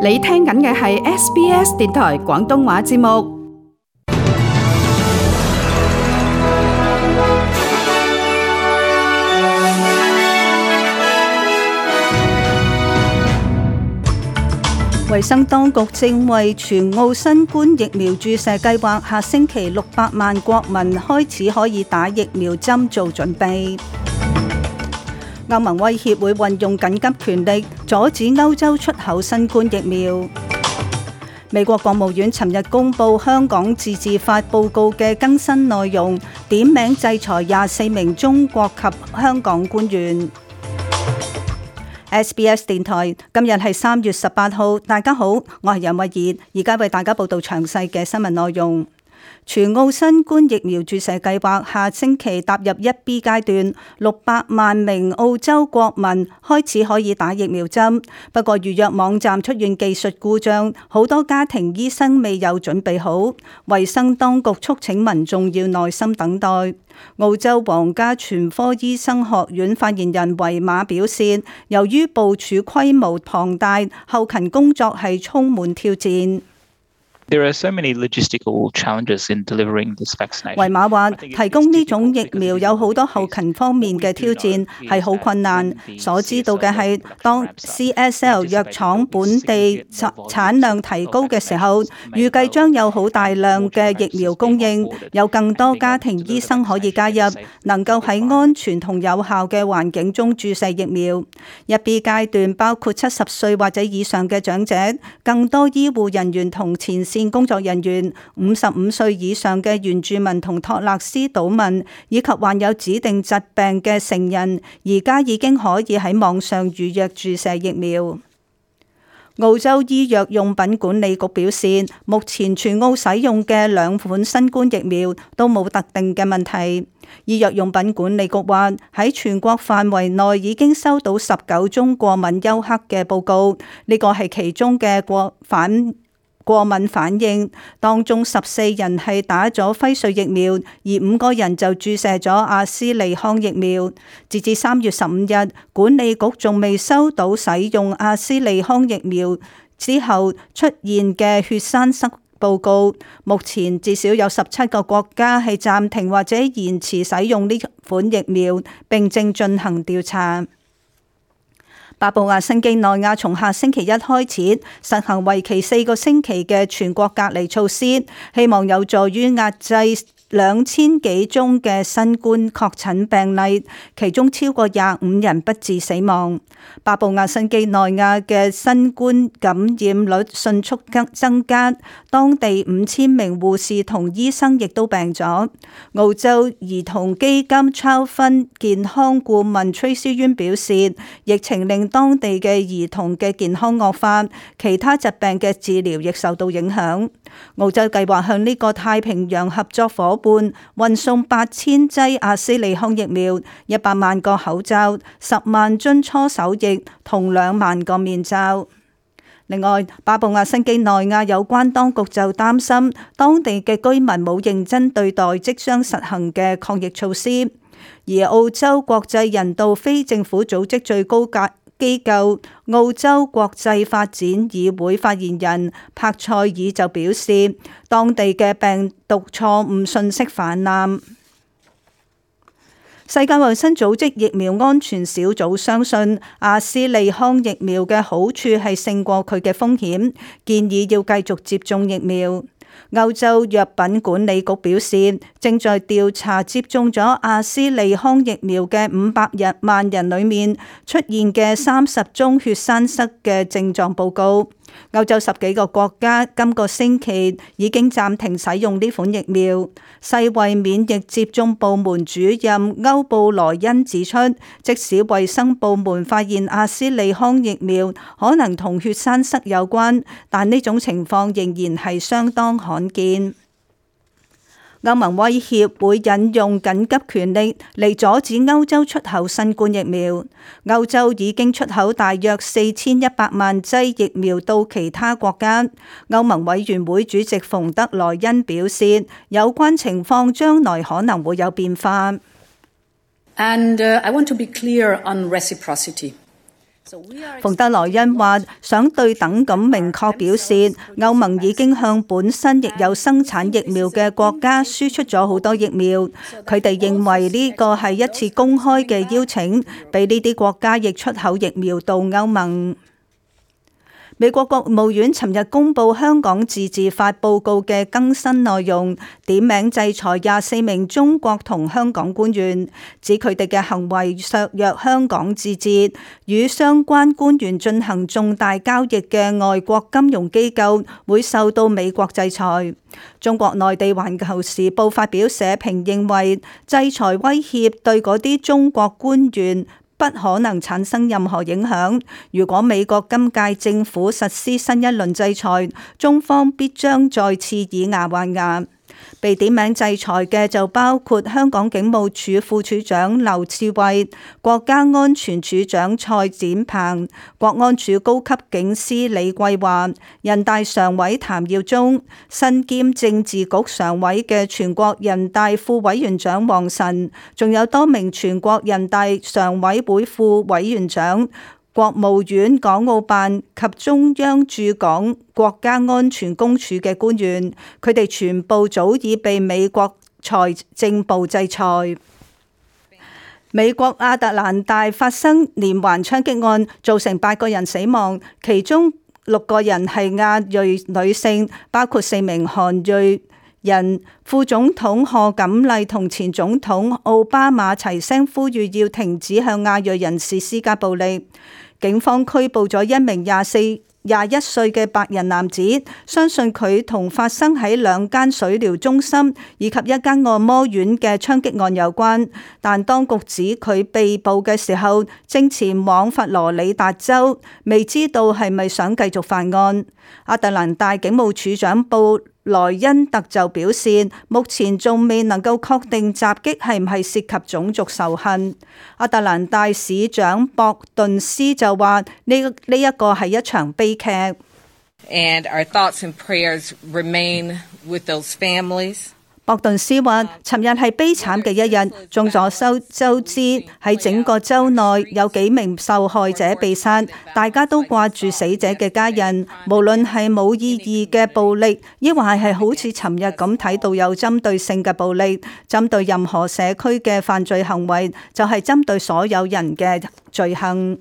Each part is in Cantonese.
你聽緊嘅係 SBS 電台廣東話節目。衛生當局正為全澳新冠疫苗注射計劃下星期600萬國民開始可以打疫苗針做準備。歐盟威脅會運用緊急權力阻止歐洲出口新冠疫苗。美國國務院尋日公布香港自治法報告嘅更新內容，點名制裁24名中國及香港官員。SBS 電台今日係3月18號，大家好，我係楊慧儀，而家為大家報道詳細嘅新聞內容。全澳新冠疫苗注射計劃下星期踏入1B 階段，600萬名澳洲國民開始可以打疫苗針。不過預約網站出現技術故障，好多家庭醫生未有準備好。衛生當局促請民眾要耐心等待。澳洲皇家全科醫生學院發言人維馬表示，由於部署規模龐大，後勤工作係充滿挑戰。There are so many logistical challenges in delivering this vaccination. 維馬話，提供呢種疫苗有好多後勤方面嘅挑戰，係好困難。所知道嘅係，當 CSL 藥廠本地產量提高嘅時候，預計將有好大量嘅疫苗供應，有更多家庭醫生可以加入，能夠喺安全同有效嘅環境中注射疫苗。1B 階段包括70歲或者以上嘅長者，更多醫護人員同前線工作人員、55歲以上嘅原住民同托勒斯島民，以及患有指定疾病嘅成人，而家已經可以喺網上預約注射疫苗。澳洲醫藥用品管理局表示，目前全澳使用嘅2款新冠疫苗都冇特定嘅問題。醫藥用品管理局話，喺全國範圍內已經收到19宗過敏休克嘅報告，呢個係其中嘅過敏反應，當中14人係打咗輝瑞疫苗，而5個人就注射咗阿斯利康疫苗。截至3月15日，管理局仲未收到使用阿斯利康疫苗之後出現嘅血栓塞報告。目前至少有17個國家係暫停或者延遲使用呢款疫苗，並正進行調查。巴布亞新幾內亞從下星期一開始實行為期4個星期嘅全國隔離措施，希望有助於壓制2000幾宗嘅新冠確診病例，其中超過25人不治死亡。巴布亞新幾內亞嘅新冠感染率迅速增加，當地5000名護士同醫生亦都病咗。澳洲兒童基金 Child Fund 健康顧問 Tracy Yuen 表示，疫情令當地嘅兒童嘅健康惡化，其他疾病嘅治療亦受到影響。澳洲計劃向呢個太平洋合作夥伴運送8000劑阿斯利康疫苗、100萬個口罩、10萬樽搓手液同2萬個面罩。另外，巴布亞新幾內亞有關當局就擔心當地嘅居民冇認真對待即將實行嘅抗疫措施，而澳洲國際人道非政府組織最高機構澳洲國際發展議會發言人帕塞爾就表示，當地嘅病毒錯誤信息氾濫。世界衛生組織疫苗安全小組相信阿斯利康疫苗嘅好處係勝過佢嘅風險，建議要繼續接種疫苗。歐洲藥品管理局表示，正在調查接種咗阿斯利康疫苗嘅500萬人裏面出現嘅30宗血栓塞嘅症狀報告。歐洲10幾個國家今個星期已經暫停使用呢款疫苗。世衛免疫接種部門主任歐布萊恩指出，即使衛生部門發現阿斯利康疫苗可能同血栓塞有關，但呢種情況仍然係相當罕見。歐盟威脅會引用緊急權力嚟阻止歐洲出口新冠疫苗。歐洲已經出口大約4100萬劑疫苗到其他國家。歐盟委員會主席馮德萊恩表示，有關情況將來可能會有變化。And I want to be clear on reciprocity. 馮德萊恩話：想對等咁明確表示，歐盟已經向本身亦有生產疫苗嘅國家輸出咗好多疫苗。佢哋認為呢個係一次公開嘅邀請，俾呢啲國家亦出口疫苗到歐盟。美國國務院尋日公布香港自治法報告嘅更新內容，點名制裁24名中國同香港官員，指佢哋嘅行為削弱香港自治，與相關官員進行重大交易嘅外國金融機構會受到美國制裁。中國內地環球時報發表社評認為，制裁威脅對嗰啲中國官員不可能產生任何影響。如果美國今屆政府實施新一輪制裁，中方必將再次以牙還牙。被點名制裁嘅就包括香港警務處副處長劉賜蕙、國家安全處長蔡展鵬、國安處高級警司李桂華、人大常委譚耀宗、身兼政治局常委嘅全國人大副委員長王晨，仲有多名全國人大常委會副委員長、國務院港澳辦及中央駐港國家安全公署嘅官員，佢哋全部早已被美國財政部制裁。美國亞特蘭大發生連環槍擊案，造成8個人死亡，其中6個人係亞裔女性，包括4名韓裔人。副總統賀錦麗同前總統奧巴馬齊聲呼籲要停止向亞裔人士施加暴力。警方拘捕咗一名21歲嘅白人男子，相信佢同發生喺2間水療中心以及一間按摩院嘅槍擊案有關，但當局指佢被捕嘅時候正前往佛羅里達州，未知道係咪想繼續犯案。亞特蘭大警務處長布萊恩特就表示，目前仲未能夠確定襲擊係唔係涉及種族仇恨。亞特蘭大市長博頓斯就話：呢一個係一場悲劇。And our thoughts and prayers remain with those families. 博頓斯話：尋日係悲慘嘅一日，眾所周知喺整個州內有幾名受害者被殺，大家都掛住死者嘅家人。無論係冇意義嘅暴力，抑或係好似尋日咁睇到有針對性嘅暴力，針對任何社區嘅犯罪行為，就係針對所有人嘅罪行。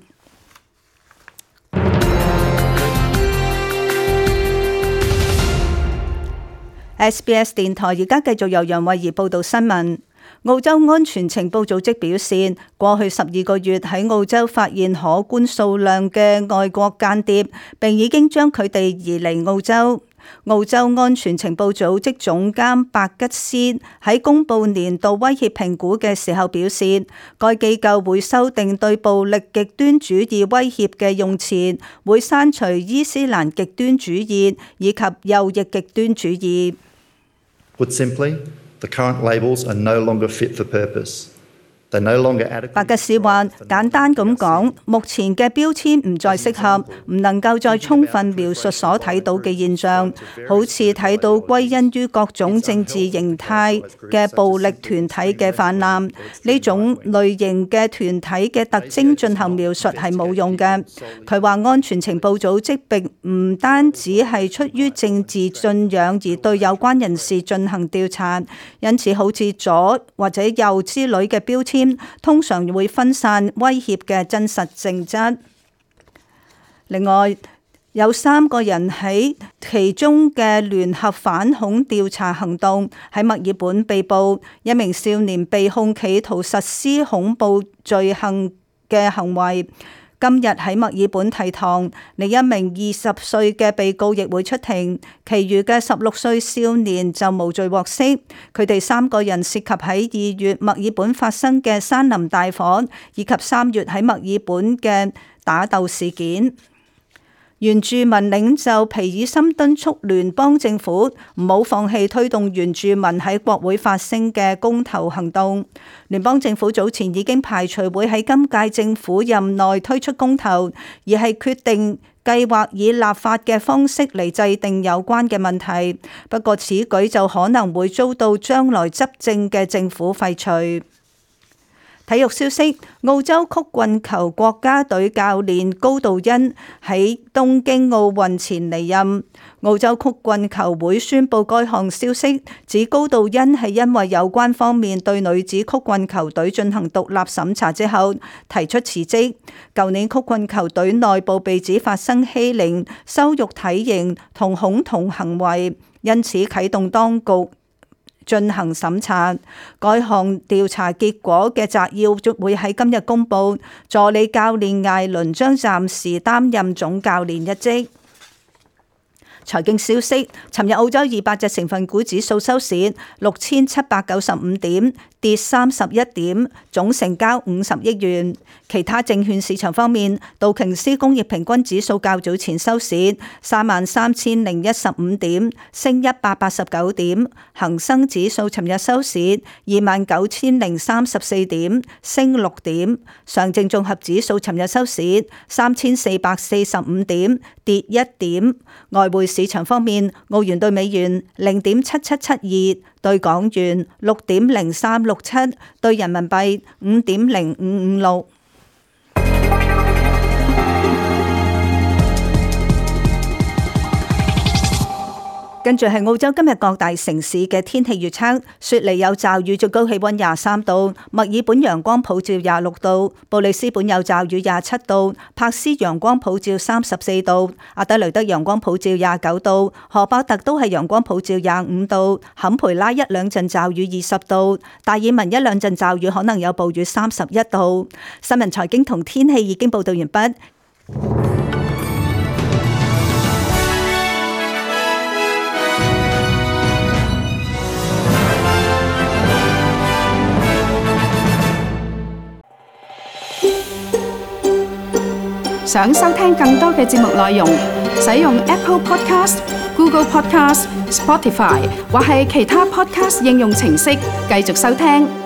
SBS 電台而家繼續由楊慧儀報道新聞。澳洲安全情報組織表示，過去12個月喺澳洲發現可觀數量嘅外國間諜，並已經將佢哋移離澳洲。澳洲安全情報組織總監白吉斯喺公布年度威脅評估嘅時候表示，該機構會修訂對暴力極端主義威脅嘅用詞，會刪除伊斯蘭極端主義以及右翼極端主義。Put simply, the current labels are no longer fit for purpose. They no longer adequate. 白吉斯話：簡單咁講，目前嘅標籤唔再適合，唔能夠再充分描述所睇到嘅現象，好似睇到歸因於各種政治形態嘅暴力團體嘅泛濫。呢種類型嘅團體嘅特徵進行描述係冇用嘅。佢話安全情報組織並唔單止係出於政治信仰而對有關人士進行調查，因此好似左或者右之類嘅標籤通常會分散威脅嘅真實性質。另外，有3個人喺其中嘅聯合反恐調查行動喺墨爾本被捕，一名少年被控企圖實施恐怖罪行嘅行為。今日喺墨爾本提堂，另一名20歲嘅被告亦會出庭，其餘嘅16歲少年就無罪獲釋。佢哋3個人涉及喺2月墨爾本發生嘅山林大火，以及3月喺墨爾本嘅打鬥事件。原住民領袖皮爾森敦促聯邦政府唔好放棄推動原住民喺國會發聲嘅公投行動。聯邦政府早前已經排除會喺今屆政府任內推出公投，而係決定計劃以立法嘅方式嚟制定有關嘅問題。不過此舉就可能會遭到將來執政嘅政府廢除。體育消息：澳洲曲棍球國家隊教練高道恩喺東京奧運前離任。澳洲曲棍球會宣布該項消息，指高道恩係因為有關方面對女子曲棍球隊進行獨立審查之後提出辭職。舊年曲棍球隊內部被指發生欺凌、羞辱體型同恐同行為，因此啟動當局進行審查。該項調查結果嘅摘要會喺今日公佈。助理教練艾倫將暫時擔任總教練一職。財經消息：尋日澳洲200隻成分股指數收市6795點，跌31點，總成交50億元。其他證券市場方面，道瓊斯工業平均指數較早前收市33015點，升189點；恒生指數尋日收市29034點，升6點；上證綜合指數尋日收市3445點，跌1點。外匯市場方面，澳元對美元0.7772，對港元6.0367，對人民幣5.0556。跟住係澳洲今日各大城市嘅天氣預測：雪梨有驟雨，最高氣溫23度；墨爾本陽光普照26度；布里斯本有驟雨27度；珀斯陽光普照34度；阿德雷德陽光普照29度；荷伯特都係陽光普照25度；坎培拉一兩陣驟雨20度；達爾文一兩陣驟雨可能有暴雨31度。新聞財經同天氣已經報道完畢。想收聽更多嘅節目內容，使用 Apple Podcast、Google Podcast、Spotify 或係其他 Podcast 應用程式繼續收聽。